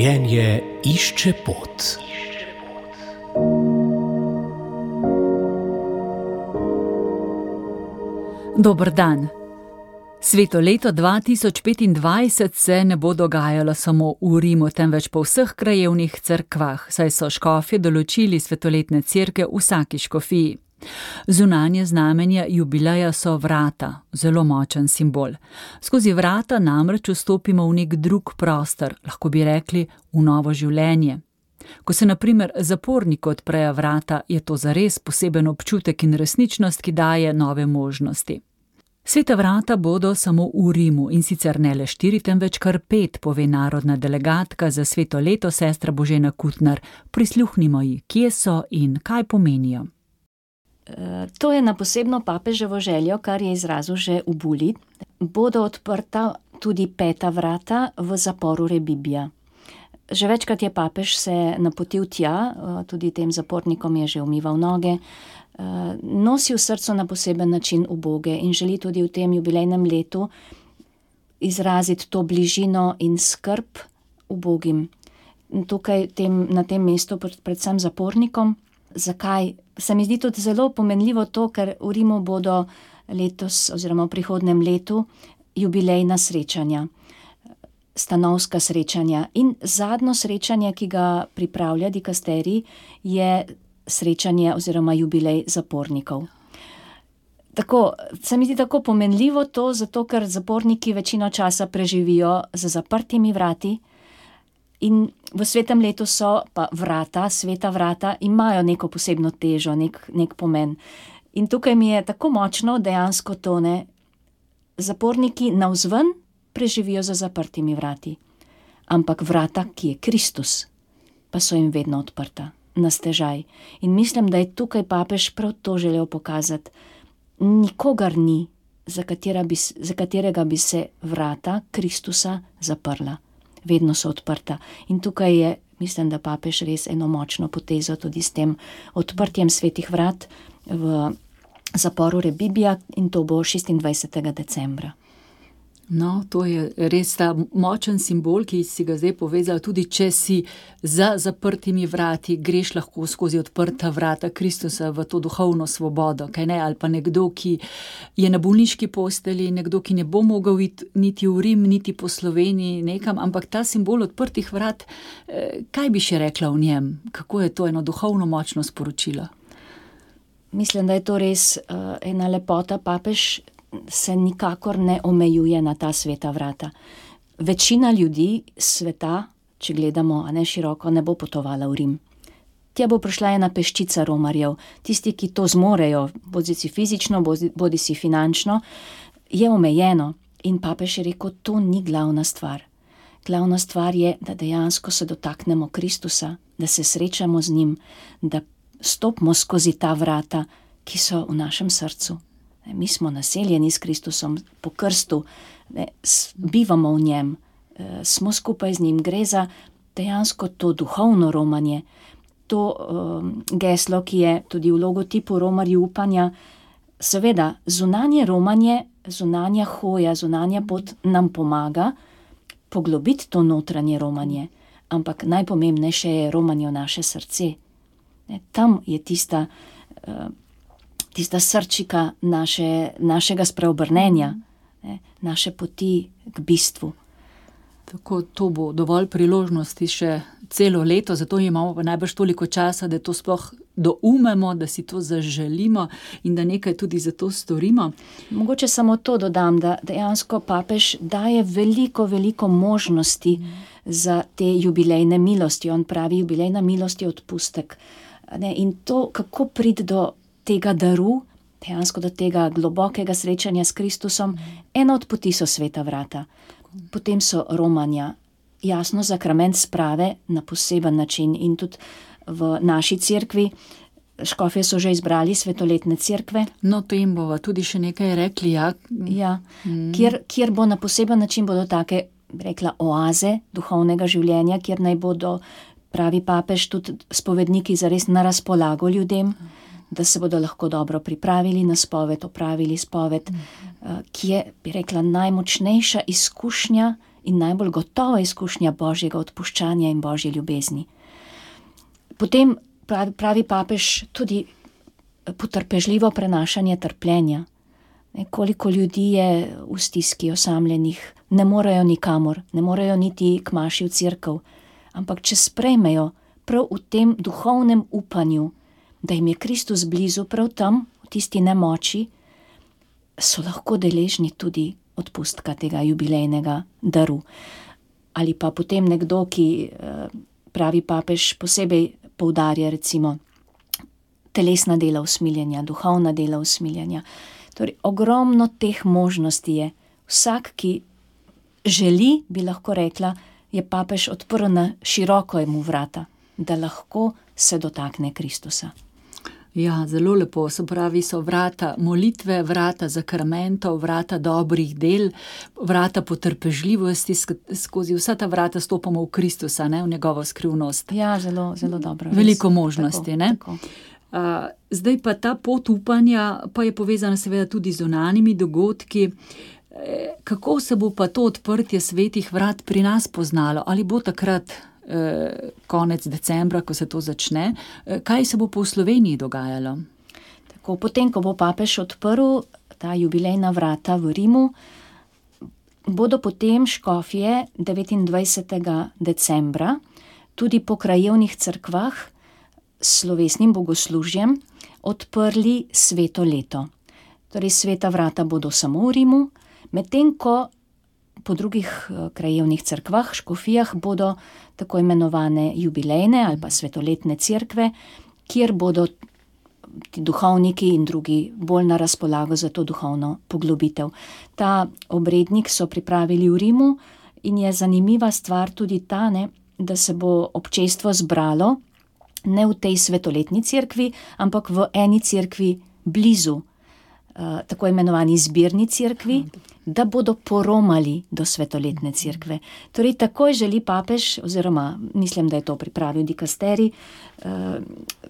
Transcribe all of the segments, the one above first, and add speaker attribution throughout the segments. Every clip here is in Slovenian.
Speaker 1: Življenje išče pot.
Speaker 2: Dober dan. Sveto leto 2025 se ne bo dogajalo samo v Rimu, temveč po vseh krajevnih cerkvah, saj so škofje določili svetoletne cerkve v vsaki škofiji. Zunanje znamenje jubileja so vrata, zelo močen simbol. Skozi vrata namreč vstopimo v nek drug prostor, lahko bi rekli v novo življenje. Ko se na primer zaporniku odprejo vrata, je to zares poseben občutek in resničnost, ki daje nove možnosti. Sveta vrata bodo samo v Rimu in sicer ne le 4, temveč kar 5, pove narodna delegatka za sveto leto sestra Božena Kutnar. Prisluhnimo ji, kje so in kaj pomenijo.
Speaker 3: To je na posebno papeževo željo, kar je izrazil že v buli. Bodo odprta tudi 5. vrata v zaporu Rebibbia. Že večkrat je papež se napotil tja, tudi tem zapornikom je že umival noge, nosi v srcu na poseben način uboge in želi tudi v tem jubilejnem letu izraziti to bližino in skrb ubogim. Tukaj na tem mestu predvsem zapornikom. Zakaj? Se mi zdi tudi zelo pomenljivo to, ker v Rimu bodo letos oziroma v prihodnjem letu jubilejna srečanja, stanovska srečanja in zadnjo srečanje, ki ga pripravlja dikasterij, je srečanje oziroma jubilej zapornikov. Tako, se mi zdi tako pomenljivo to, zato ker zaporniki večino časa preživijo za zaprtimi vrati in v svetem letu so pa vrata, sveta vrata, imajo neko posebno težo, nek pomen. In tukaj mi je tako močno dejansko to, zaporniki navzven preživijo za zaprtimi vrati, ampak vrata, ki je Kristus, pa so jim vedno odprta, na stežaj. In mislim, da je tukaj papež prav to želel pokazati. Nikogar ni, za katerega bi se vrata Kristusa zaprla. Vedno so odprta. In tukaj je, mislim, da papež res eno močno potezo tudi s tem odprtjem svetih vrat v zaporu Rebibbia in to bo 26. decembra.
Speaker 2: No, to je res ta močen simbol, ki si ga zdaj povezal, tudi če si za zaprtimi vrati, greš lahko skozi odprta vrata Kristusa v to duhovno svobodo, kaj ne, ali pa nekdo, ki je na bolniški postelji, nekdo, ki ne bo mogel iti niti v Rim, niti po Sloveniji nekam, ampak ta simbol odprtih vrat, kaj bi še rekla v njem? Kako je to eno duhovno močno sporočilo?
Speaker 3: Mislim, da je to res ena lepota. Papež se nikakor ne omejuje na ta sveta vrata. Večina ljudi sveta, če gledamo široko, ne bo potovala v Rim. Tja bo prišla ena peščica romarjev, tisti, ki to zmorejo, bodisi fizično, bodisi finančno, je omejeno. In papež je rekel, to ni glavna stvar. Glavna stvar je, da dejansko se dotaknemo Kristusa, da se srečamo z njim, da stopimo skozi ta vrata, ki so v našem srcu. Mi smo naseljeni s Kristusom po krstu, bivamo v njem, smo skupaj z njim. Gre za dejansko to duhovno romanje, to geslo, ki je tudi v logotipu romarji upanja. Seveda, zunanje romanje, zunanja hoja, zunanja pot nam pomaga poglobiti to notranje romanje, ampak najpomembnejše je romanje v naše srce. Tam je tista srčika našega spreobrnenja, naše poti k bistvu.
Speaker 2: Tako, to bo dovolj priložnosti še celo leto, zato imamo pa najbrž toliko časa, da to sploh doumemo, da si to zaželimo in da nekaj tudi za to storimo.
Speaker 3: Mogoče samo to dodam, da dejansko papež daje veliko, veliko možnosti za te jubilejne milosti. On pravi, jubilejna milost je odpustek. In to, kako priti do tega daru, dejansko do tega globokega srečanja s Kristusom, ena od poti so sveta vrata. Potem so romanja, jasno, sakrament sprave na poseben način in tudi v naši cerkvi, škofje so že izbrali svetoletne cerkve.
Speaker 2: No, to jim bova tudi še nekaj rekli, ja.
Speaker 3: Ja, kjer bo na poseben način bodo take, rekla, oaze duhovnega življenja, kjer naj bodo, pravi papež, tudi spovedniki zares na razpolago ljudem, da se bodo lahko dobro pripravili na spoved, opravili spoved, ki je, bi rekla, najmočnejša izkušnja in najbolj gotova izkušnja Božjega odpuščanja in Božje ljubezni. Potem pravi papež tudi potrpežljivo prenašanje trpljenja. Koliko ljudi je v stiski osamljenih, ne morejo nikamor, ne morejo niti k maši v cerkev, ampak če sprejmejo prav v tem duhovnem upanju, da jim je Kristus blizu prav tam, v tisti nemoči, so lahko deležni tudi odpustka tega jubilejnega daru. Ali pa potem nekdo, ki pravi papež posebej poudarja recimo telesna dela usmiljenja, duhovna dela usmiljenja. Torej, ogromno teh možnosti je. Vsak, ki želi, bi lahko rekla, je papež odprl na široko mu vrata, da lahko se dotakne Kristusa.
Speaker 2: Ja, zelo lepo, se pravi, so vrata molitve, vrata zakramentov, vrata dobrih del, vrata potrpežljivosti, skozi vsa ta vrata stopamo v Kristusa, ne, v njegovo skrivnost.
Speaker 3: Ja, zelo, zelo dobro.
Speaker 2: Veliko možnosti,
Speaker 3: tako,
Speaker 2: ne?
Speaker 3: Tako.
Speaker 2: Zdaj pa ta pot upanja pa je povezana seveda tudi z zunanjimi dogodki. Kako se bo pa to odprtje svetih vrat pri nas poznalo? Ali bo takrat konec decembra, ko se to začne? Kaj se bo pa v Sloveniji dogajalo?
Speaker 3: Tako, potem, ko bo papež odprl ta jubilejna vrata v Rimu, bodo potem škofje 29. decembra tudi po krajevnih cerkvah s slovesnim bogoslužjem odprli sveto leto. Torej, sveta vrata bodo samo v Rimu, medtem ko po drugih krajevnih cerkvah, škofijah, bodo tako imenovane jubilejne ali pa svetoletne cerkve, kjer bodo ti duhovniki in drugi bolj na razpolago za to duhovno poglobitev. Ta obrednik so pripravili v Rimu in je zanimiva stvar tudi ta, da se bo občestvo zbralo ne v tej svetoletni cerkvi, ampak v eni cerkvi blizu, tako imenovani zbirni cerkvi, da bodo poromali do svetoletne cerkve. Torej, takoj želi papež, oziroma mislim, da je to pripravil dikasterij,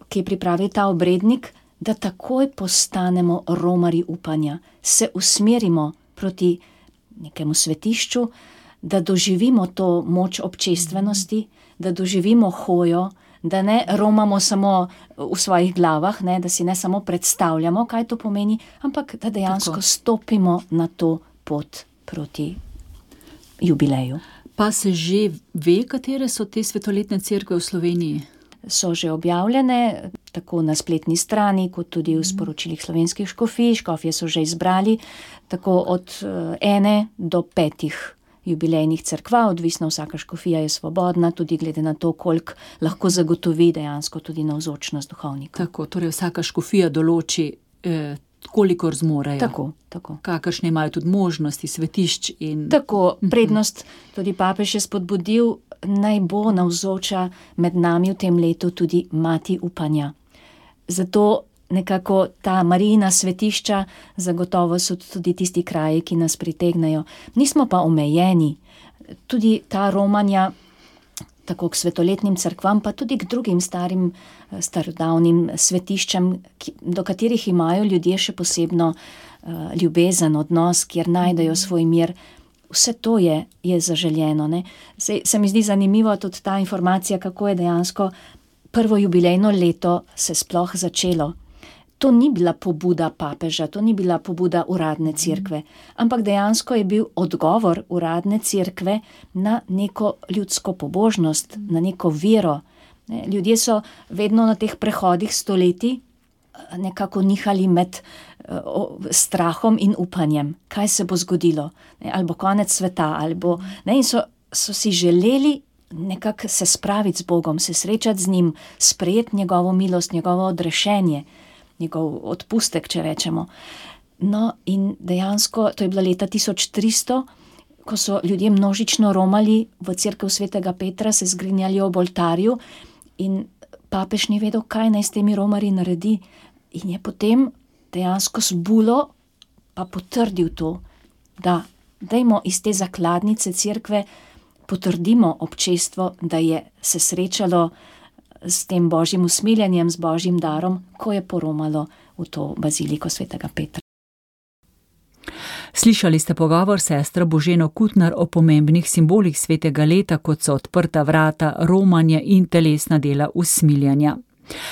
Speaker 3: ki je pripravil ta obrednik, da takoj postanemo romarji upanja, se usmerimo proti nekemu svetišču, da doživimo to moč občestvenosti, da doživimo hojo, da ne romamo samo v svojih glavah, da si ne samo predstavljamo, kaj to pomeni, ampak da dejansko stopimo na to pot proti jubileju.
Speaker 2: Pa se že ve, katere so te svetoletne cerkve v Sloveniji?
Speaker 3: So že objavljene, tako na spletni strani, kot tudi v sporočilih slovenskih škofij. Škofje so že izbrali tako od 1 do 5 jubilejnih cerkva, odvisno vsaka škofija je svobodna, tudi glede na to, koliko lahko zagotovi dejansko tudi navzočnost duhovnikov.
Speaker 2: Tako, torej vsaka škofija določi, kolikor zmorejo.
Speaker 3: Tako.
Speaker 2: Kakršne imajo tudi možnosti, svetišč in...
Speaker 3: Tako, prednost tudi papež je spodbudil, naj bo navzoča med nami v tem letu tudi mati upanja. Zato nekako ta Marijina svetišča zagotovo so tudi tisti kraji, ki nas pritegnejo. Nismo pa omejeni. Tudi ta romanja, tako k svetoletnim cerkvam, pa tudi k drugim starim, starodavnim svetiščem, do katerih imajo ljudje še posebno ljubezen, odnos, kjer najdejo svoj mir. Vse to je zaželjeno. Se mi zdi zanimivo tudi ta informacija, kako je dejansko prvo jubilejno leto se sploh začelo. To ni bila pobuda papeža, to ni bila pobuda uradne cerkve, ampak dejansko je bil odgovor uradne cerkve na neko ljudsko pobožnost, na neko vero. Ljudje so vedno na teh prehodih stoletij nekako nihali med strahom in upanjem, kaj se bo zgodilo, ali bo konec sveta, in so si želeli nekako se spraviti z Bogom, se srečati z njim, sprejeti njegovo milost, njegovo odrešenje, njegov odpustek, če rečemo. No, in dejansko, to je bila leta 1300, ko so ljudje množično romali v cerkev svetega Petra, se zgrinjali ob oltarju in papež ni vedel, kaj naj s temi romarji naredi. In je potem dejansko z bulo pa potrdil to, da dajmo iz te zakladnice cerkve potrdimo občestvo, da je se srečalo s tem božjim usmiljenjem, z božjim darom, ko je poromalo v to baziliko svetega Petra.
Speaker 2: Slišali ste pogovor sestro Boženo Kutnar o pomembnih simbolih svetega leta, kot so odprta vrata, romanje in telesna dela usmiljanja.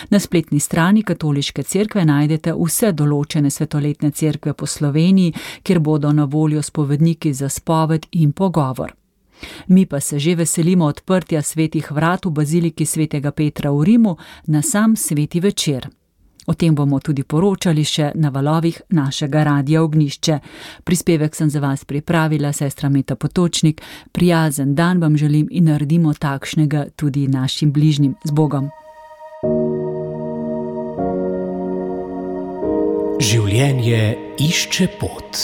Speaker 2: Na spletni strani Katoliške cerkve najdete vse določene svetoletne cerkve po Sloveniji, kjer bodo na voljo spovedniki za spoved in pogovor. Mi pa se že veselimo odprtja svetih vrat v baziliki svetega Petra v Rimu na sam sveti večer. O tem bomo tudi poročali še na valovih našega Radia Ognjišče. Prispevek sem za vas pripravila sestra Meta Potočnik. Prijazen dan vam želim in naredimo takšnega tudi našim bližnjim. Z Bogom!
Speaker 1: Življenje išče pot.